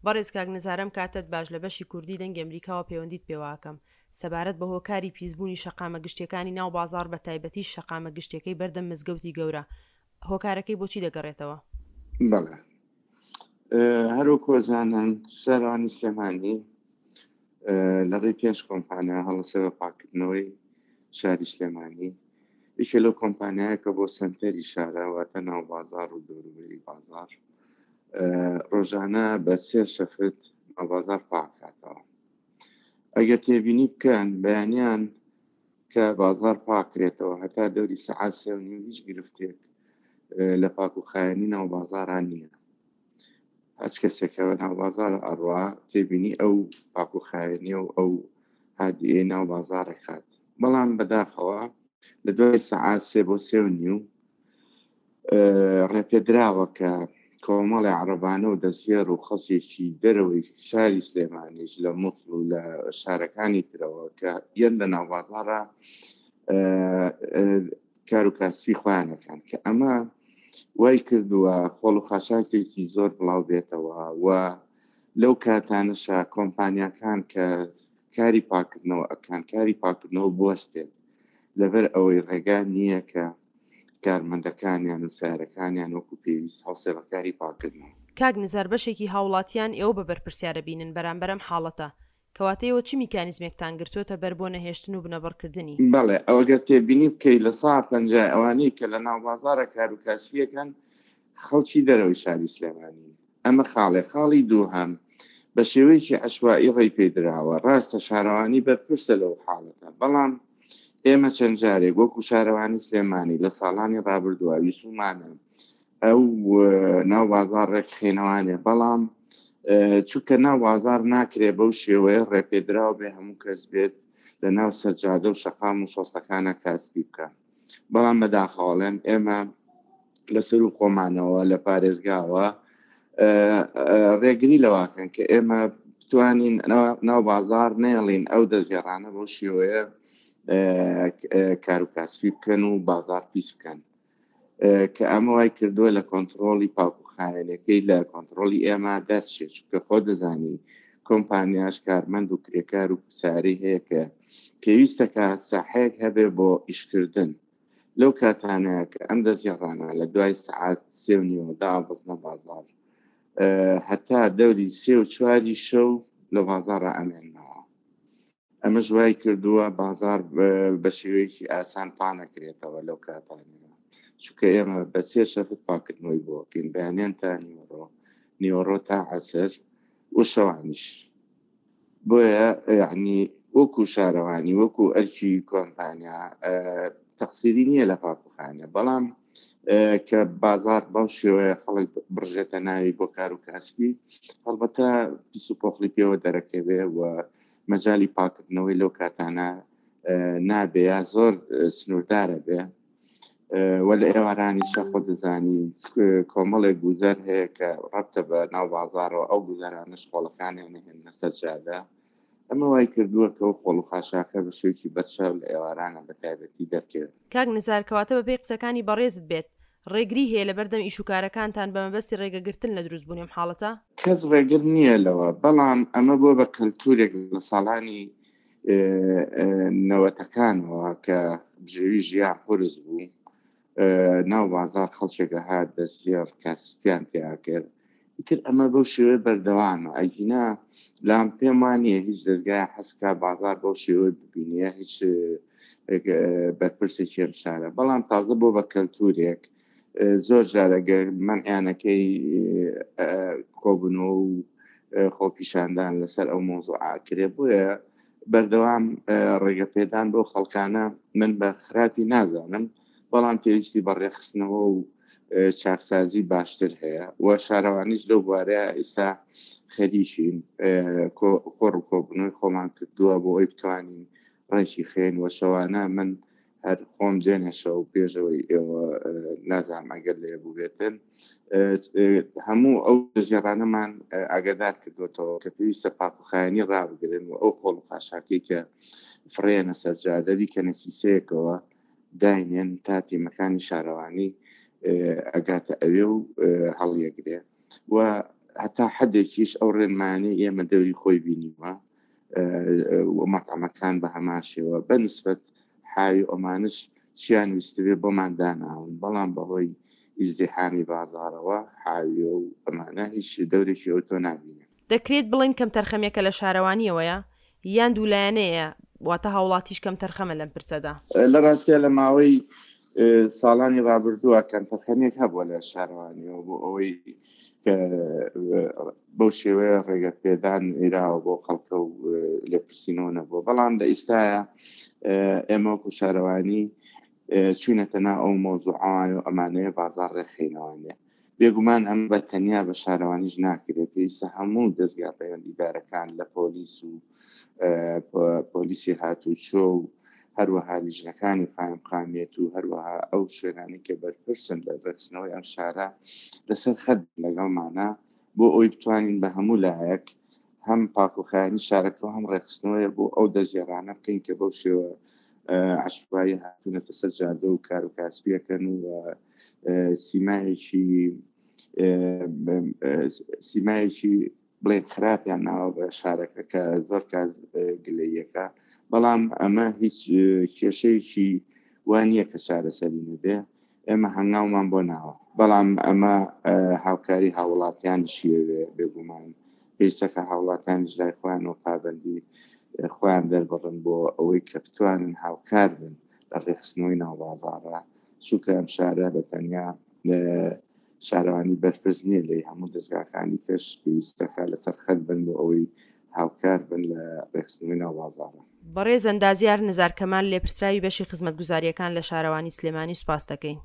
بەڕێز کاک نزار ئەم کاتەت باش لە بەشی کوردی دەنگی ئەمریکاوە پەیوەندیت پێوە ئەکەم سەبارەت بە هۆکاری پیسبوونی شەقامە گشتیەکانی ناو بازاڕ بە تایبەتیش شەقامە گشتیەکەی بەردەم مزگەوتی گەورە هۆکارەکەی بۆچی دەگەڕێتەوە؟ بەڵێ هەروەکو ئەزانن شارەوانی سلێمانی لە ڕێی پێنج کۆمپانیا هەڵەسێ بە پاککردنەوەی شاری سلێمانی یەکێ لەو کۆمپانیایە کە بۆ سەنتەری شارە واتە ناو بازار و دەوروبەری بازار ڕۆژانە بە سێ شەفت ناو بازار پاکاتەوە ئەگەر تێبینی بکەن بەیانیان کە بازار پاکرێتەوە هەتا دەوری سەعات سێ و نیو هیچ گرفتێک لە پاک و خایەنی ناو بازاران نییە هەچ کەسێکە ناو بازار ئەڕوا تێبینی ئەو پاک و خایەنی و ئەو هادیەی ناو بازارە کات بەڵام بەداخەوە لە دوای سەعات سێ بۆ سێ و نیو ڕێپێدراوە کە کۆمەڵی عەڕەبانە و دەستگێڕ و خەڵکێکی دەرەوەی شاری سلێمانیش لە موسڵ و لە شارەکانی ترەوە کە یەن لە ناوبازاڕە کار و کاسبی خۆیانەکان کە ئەمە وای کردووە خۆڵ و خاشاکێکی زۆر بڵاو بێتەوە و لەو کاتانەشا کۆمپانیاکان کە کاری پاکردنەوە ئەکان کاری پاکردنەوە بوەستێت لەبەر ئەوەی ڕێگا نییە کە کارمەندەکانیان و سەیارەکانیان وەکو پێویست هەڵسێ بە کاری پاکردنەوە. کاک نزار بەشێکی هاوڵاتیان ئێوە بە بەرپرسیار ئەبینن بەرامبەر ئەم حاڵەتە، کەواتە ئێوە چ میکانیزمێکتان گرتووەتە بەر بۆ نەهێشتن و بنەبڕکردنی؟ بەڵێ ئەگەر تێبینی بکەی لە سا پەنجای ئەوانەی کە لە ناوبازاڕە کارو کاسبیەکەن خەڵکی دەرەوەی شاری سلێمانین ئەمە خاڵێ خاڵی دووهەم بە شێوەیەکی عەشوائی ڕێی پێ دراوە ڕاستە شارەوانی بەرپرسە لەو حاڵەتە بەڵام ئێمە چەند جارێک وەکو شارەوانی سلێمانی لە ساڵانی ڕابردووە ویستومانە ئەو ناو بازار ڕێکخێنەوانێ بەڵام چونکە ناو بازار ناکرێ بەو شێوەیە ڕێپێدراو بێ هەموو کەس بێت لە ناو سەرجادە و شەقام و شۆستەکانە کاسبی بکە بەڵام بەداخەوەڵێن ئێمە لەسەر و خۆمانەوە لە پارێزگاوە ڕێگری لەواکەن کە ئێمە بتوانین ناو بازار نێڵین ئەو دەستگەڕانە بەو شێوەیە کار و کاسپی بکەن و بازار پیس بکەن کە ئەمە وای کردووە لە کۆنتترۆلی پاک و خایەنەکەی لە کۆنتترۆلی ئێمە دەرچێت چونکە خۆ دەزانی کۆمپانیاش کارمەند و کرێکار و ساری هەیە کە پێویستەکە ساحەیەک هەبێ بۆ ئیشکردن لەو کاتانە کە ئەم دەستگێڕانە لە دوای سەعات سێ و نیوە دابەزنە بازاڕ هەتا دەوری سێ و چواری شەو لە بازاڕە ئەمێنەوە ئەمەش وای کردووە بازار بە شێوەیەکی ئاسان پانەکرێتەوە لەو کاتانەیە چونکە ئێمە بە سێ شەفت پاکردنەوەی بۆکەین بەیانیان تا نیوەڕۆ نیوەڕۆ تا عەسر و شەوانیش بۆیە یعنی وەکو شارەوانی وەکو ئەرکی کۆمپانیا تەقسیری نییە لە پاکوخانە بەڵام کە بازار بەو شێوەیە خەڵک بڕژێتە ناوی بۆ کار و کاسبی هەڵبەتە پیس و پۆخلی پێوە دەرەکەوێ و مەجای پاکردنەوەی لەو کاتانە نابێ یا زۆر سنووردارە بێ وە لە ئێوارانیشە خۆ دەزانی کۆمەڵێک گوزەر هەیە کە ڕەبتە بە ناو بازارەوە ئەو گوزەرانەش خۆڵەکانیان نهێنە سەر جادە ئەمە وای کردووە کە ئەو خۆڵ و خاشاکە بە شێوەیەکی بەرچاو لە ئێوارانە بە تایبەتی دەرکەوێت. کاک نزار کەواتە بەپێی قسەکانی بەڕێزت بێت ڕێگری هەیە لەبەردەم ئیش و کارەکانتان بە مەبەستی ڕێگەگرتن لە دروستبوونی ئەم حاڵەتە؟ کەس ڕێگر نییە لەوە، بەڵام ئەمە بووە بە کەلتوورێک لە ساڵانی نەوەتەکانەوە کە بژێوی ژیان قورس بوو ناو بازار خەڵکێک هات دەستگێڕ کاسپیان تیا کرد ئیتر ئەمە بەو شێوەیە بەردەوامە ئەگینا لام پێم وانە هیچ دەستگای حەسکا بازار بەو شێوەی ببینیە هیچ بەرپرسێکی ئەم شارە بەڵام تازە بۆ بە کەلتورێک زۆر جارە گەر مەنعیانەکەی کۆبنەوە و خۆپیشاندان لەسەر ئەو مۆزوعاکرێ بۆیە بەردەوام ڕێگە پێدان بۆ خەڵکانە من بە خراپی نازانم بەڵام پێویستی بە ڕێخستنەوە و چاکسازی باشتر هەیە و شارەوانیش لەو بوارە ئێستا خەریکین کۆڕ و کۆبوونەوەی خۆمان کردووە بۆ ئەوی بتوانین ڕێکی خێن و شەوانە من هەر خۆم دوێنێ شەو پێشەوەی ئێوە نازانم ئەگەر لێ بووبێتن هەموو ئەو ژێڕانەمان ئاگادار کردوێتەوە کە پێویستە پاکوخایانی ڕابگرن و ئەو خۆڵ و خاشاکەی کە فڕێنە سەرجادە بیکەنە کیسەیەکەوە داینێن تا تیمەکانی شارەوانی ئەگاتە ئەوێ و هەڵیەگرێ و. هەتا حدێکیش ئەو ڕێنمایانەی ئێمە دەوری خۆی بینیوە و مەتعەمەکان بە هەمان شێوە بە نسبەت حاوی ئۆمانش چیان ویستبێ بۆمان داناون بەڵام بەهۆی ئیزدیحامی بازاڕەوە حاویە و ئەمانە هیچ دەورێکی ئەوتۆ نابینن. دەکرێت بڵێین کەمتەرخەمیەکە لە شارەوانیەوەیە یان دوولایەنەیە واتە هاوڵاتیش کەمتەرخەمە لەم پرسەدا؟ لە ڕاستیا لە ماوەی ساڵانی ڕابردووە کەمتەرخەمیەک هەبووە لە شارەوانیەوە بۆ ئەوەی کە بەو شێوەیە ڕێگە پێدان ئیراوە بۆ خەڵکە و لێپرسینەوە نەبووە بەڵام لە ئیستاە ئێمە وەکو شارەوانی چوینەتە نا ئەو مۆزوعوان و ئەمانەیە بازار ڕێخینەوانە بێگومان ئەم بە تەنیا بە شارەوانیش ناکرێت پێویستە هەموو دەستگا پەیوەندیدارەکان لە پۆلیس و پۆلیسی هاتوچۆ و هەروەها لیژنەکانی قایمقامیەت و هەروەها ئەو شوێنانی کە بەرپرسن لە ڕێکخستنەوەی ئەم شارە لەسەر خەت لەگەڵمانە بۆ ئەوی بتوانین بە هەموو لایەک هەم پاکوخایانی شارەکە و هەم ڕێکخستنەوەی بۆ ئەو دەستگێڕانە بکەین کە بەو شێوە عشوایی هاتوونەتە سەر جادە و کار و کاسپیەکەن و سیمایەکی سیمایەکی بڵێن خراپیان ناوە بە شارەکە کە زۆر کات گلەیەکە بەڵام ئەمە هیچ کێشەیەکی وا نییە کە چارەسەری نەبێ ئێمە هەنگاومان بۆ ناوە بەڵام ئەمە هاوکاری هاوڵاتیان شیێوێ بێگومان پێویستەکە هاوڵاتیانیش لای خۆیان و پابندی خۆیان دەربڕن بۆ ئەوەی کە بتوانن هاوکار بن لە ڕێخستنەوەی ناو بازاڕە چونکە ئەم شارە بە تەنیا شارەوانی بەرپرس نییە لێی هەموو دەزگاکانی کەش پێویستەکە لەسەر خەت بن بۆ ئەوەی هاوکار بن لە ڕێکخستنەوەی ناو بازاڕە. بەڕێز ئەندازیار نزار کەمال لێپرسراوی بەشی خزمەتگوزارییەکان لە شارەوانی سلێمانی سوپاست دەکەین.